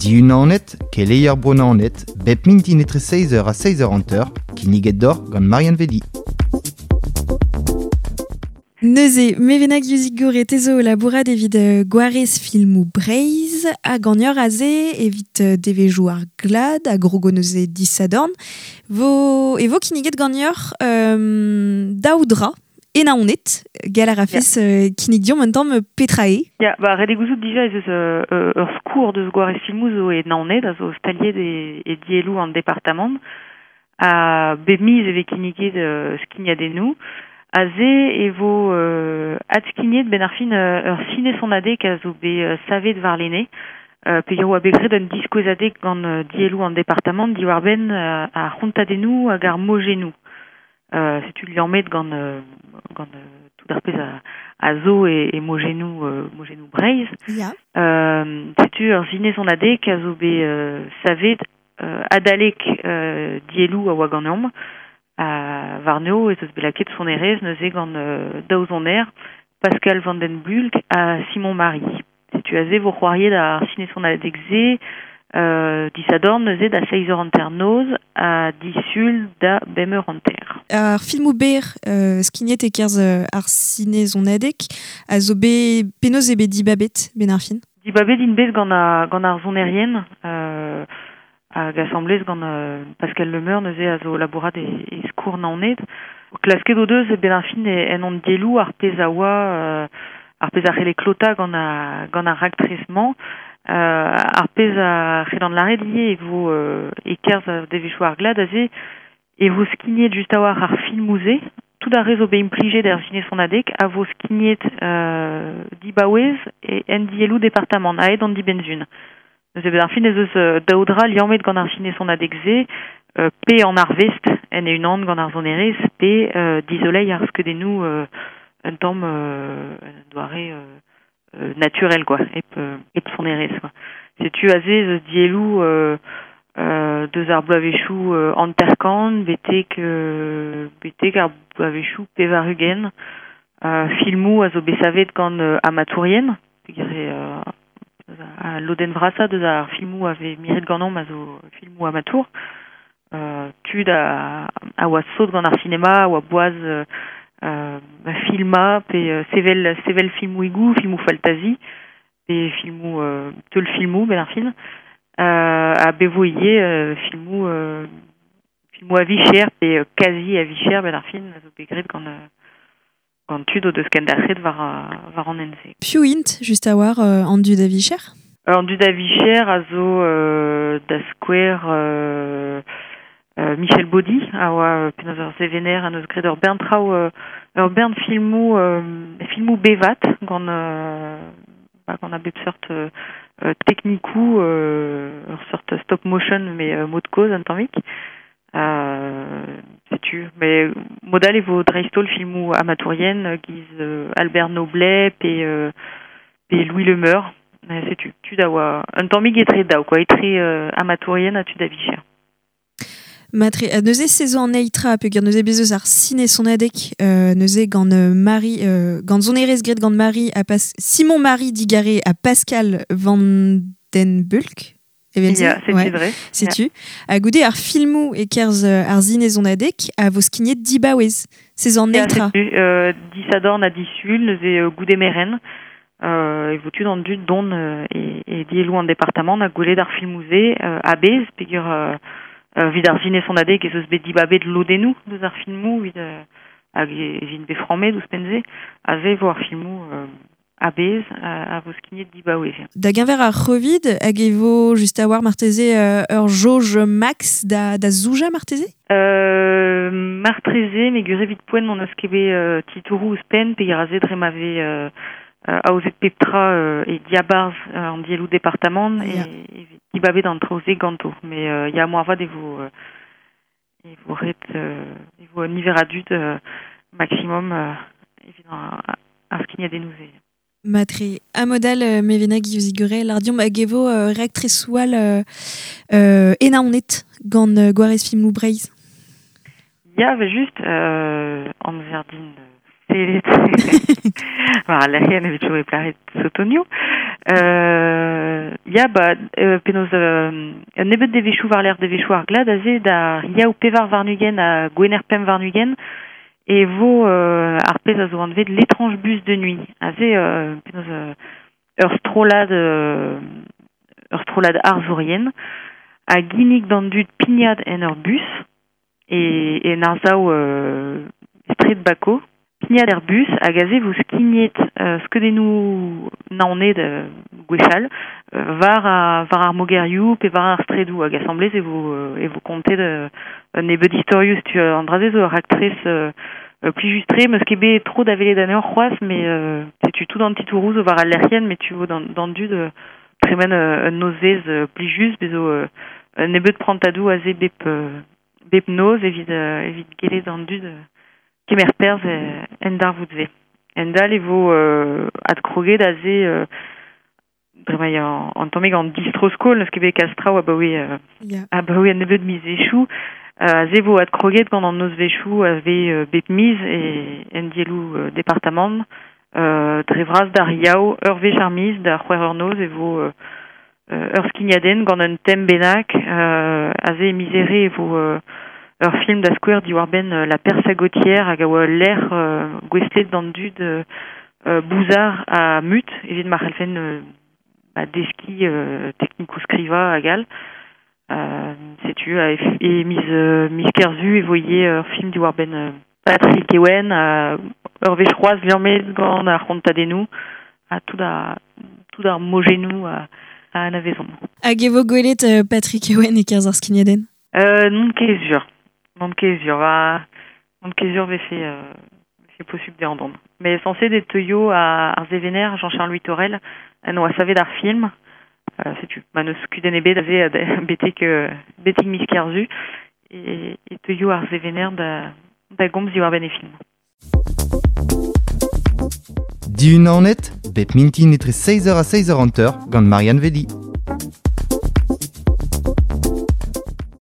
Diunanet, keleier Bro-Naoned, bep mintin etre 6h ha 6h50, kinniget deoc'h gant Marianne Vedi. Neuze, Mevena Guizigour etezo labourat evit gwarez filmoù Breizh hag an ur aze evit devezhioù ar glad ha grogo neuze disadorn vo, e vo kinniget ganeoc'h daou dra e Naoned, gall a rafes kinnig diomp un tamm petra eo. Ya, ba, ret eo gouzout dija ez eus ur skourr deus gwarez filmoù zo e Naoned, a zo staliet e dielloù an departamant. Ha bep miz e vez kinniget skignadennoù. Aze e vo adskignet benn ar fin ur sine-sonadeg a zo bet savet warlene. Peogwir oa bet graet un diskouezadeg gant dielloù an departamant diwar-benn ar c'hontadennoù hag ar mojennoù. Setu liammet gant gant tout ar pezh a zo e mojennoù mojennoù Breizh. Ya. Setu ur sinezonadeg a zo bet savet adalek dielloù a oa ganeomp. Warno ez eus bet lakaet sonerezh neuze gant daou soner, Pascal van den Bulk ha Simon Marie. Setu aze vo c'hoariet ar sinesonadeg-se disadorn neuze da seizh eur hanternoz ha disul da bemp eur hanter. Ar filmoù berr skignet e-kerzh ar sinezonadeg a zo bet penaos eo bet dibabet benn ar fin? Dibabet int bet gant gant ar sonerien hag asambles gant Pascal Lemeur neuze a zo labourat e skourr Naoned. Klasket o deus benn ar fin en hon dielloù ar pezh a oa ar pezh a c'helle klotañ gant gant ar raktres-mañ. Ar pezh a c'hellan lâret ivez e vo e-kerzh devezhioù ar glad aze e vo skignet just a-walc'h ar filmoù-se. Tout ar re zo bet implijet er sinesonadeg a vo skignet dibaouez en dielloù departamant aet an dibenn-sun. Neuze benn ar fin ez eus daou dra liammet gant ar sinesonadeg-se, pe an arvest en e-unan gant ar sonerezh, pe dizoleiñ ar skeudennoù un tamm un doare naturel quoi, hep sonerezh quoi. Setu aze ez eus dielloù deus ar bloavezhioù hanter-kant betek betek ar bloavezhioù pevar-ugent. Filmoù a zo bet savet gant amatourien, peogwir eo al lodenn vrasañ deus ar filmoù a vez miret ganeomp a zo filmoù amatour. Tud a oa sot gant ar sinema, a oa boaz filmañ pe sevel sevel filmoùigoù, filmoù faltazi pe filmoù teulfilmoù benn ar fin. Ha bet vo ivez filmoù filmoù a-vicher pe kazi a-vicher benn ar fin a zo bet graet gant gant tud o deus kendalc'het war war an hent-se. Piv int, just a-walc'h, an dud a-vicher? An dud a-vicher a zo da skouer Michel Baudy a oa penaos ur sevener a neus graet ur bern traoù ur bern filmoù filmoù bevat gant gant a bep seurt teknikoù ur seurt stop motion met mod kozh un tammig. Setu, met mod all e vo dreist-holl filmoù amatourien giz Albert Noblet pe pe Louis Le Meur. Setu, tud a oa un tammig etre daou quoi, etre amatourien ha tud a vicher. Matre, neuze se zo an eil tra peogwir neuze bez eus ar sinesonadeg neuze gant Marie gant sonerezh graet gant Marie ha Pas Simon Marie Digaré ha Pascal Van Den Bulk. Evel-se, Ya, setu ouais. dre. Setu. Ha goude ar filmoù e-kerzh ar sinezonadeg a vo skignet dibaouez. Se zo an Ya, eil tra. setu, disadorn ha disul, neuze goude merenn. E vo tud an dud dont e dielloù an departamant ha gwelet ar filmoù-se a-bezh peogwir evit ar sinesonadeg ez eus bet dibabet lodennoù deus ar filmoù evit hag ez int bet frammet ouzhpenn-se. Aze e vo ar filmoù a-bezh a vo skignet dibaouez. Da geñver ar C'hovid hag e vo just a-walc'h marteze ur jauj max da zoujañ marteze? Martreze, met gwir evit poent n'hon eus ket bet titouroù ouzhpenn peogwir aze dre ma vez aozet pep tra e diabarzh an dielloù departamant e vez dibabet an traoù-se ganto. Met ya, moarvat e vo e vo ret e vo un niver a dud maximum evit ar skignadennoù-se. Matre, ha mod all Mevena Guillaume lardiomp hag e vo raktresoù all e Naoned gant Gwarez Filmoù Breizh. Ya, evel-just, amzer din sellet war al lec'hienn evit chom e plaret sotonioù. Ya, ba, penaos un nebeud devezhioù war-lerc'h devezhioù ar glad aze da yaou pevar warn-ugent ha gwener pemp warn-ugent e vo ar pezh a zo anvet l'étrange bus de nuit. Aze penaos ur strollad arzourien a ginnig d'an dud pignat en ur bus e en arsav straed Bako. Pignat er bus hag aze vo skignet skeudennoù Naoned gwechall war ar mogerioù pe war ar straedoù hag asambles e vo kontet un nebeud istorioù setu an dra-se zo ur raktres plijus-tre meus ket bet tro da welet anezhañ c'hoazh met setu tout an titouroù zo war al lec'hienn met tu vo d'an dud tremen un nozvezh plijus bez zo un nebeud prantadoù aze bep noz evit gellet an dud kemer perzh en darvoud-se. En dal e vo adkroget aze bremañ an tammig an distro-skol n'eus ket bet kalz traoù abaoe un nebeud mizvezhioù. Aze vo adkroget gant an nozvezhioù a vez bep miz en dielloù departamant. Dre vras d'ar yaou ur wech ar miz da c'hwec'h eur noz e vo ur skignadenn gant un tem bennak. Aze e miz Here e vo ur film da skouer diwar-benn la Persagotière hag a oa ul lec'h gouestlet d'an dud bouzar ha mut evit ma c'hellfen deskiñ teknikoù skrivañ hag all. Setu e miz Kerzu e vo ivez ur film diwar-benn Patrick Ewen ur wech c'hoazh liammet gant ar c'hontadennoù ha tout ar mojennoù a anavezomp. Hag e vo gwelet Patrick Ewen e-kerzh ar skignadenn? Non ket sur. Non ket sur. Non ket sur vefe posubl dezhañ dont. Mais censé det teuio ar sevener Jean-Charles Huitorel en oa savet ar film. Setu ma n'eus kudenn ebet aze betek miz Kerzu e teuio ar sevener da gomz diwar-benn e film. Dihun Naoned, bep mintin etre 6h ha 6h50 gant Marianne Velli.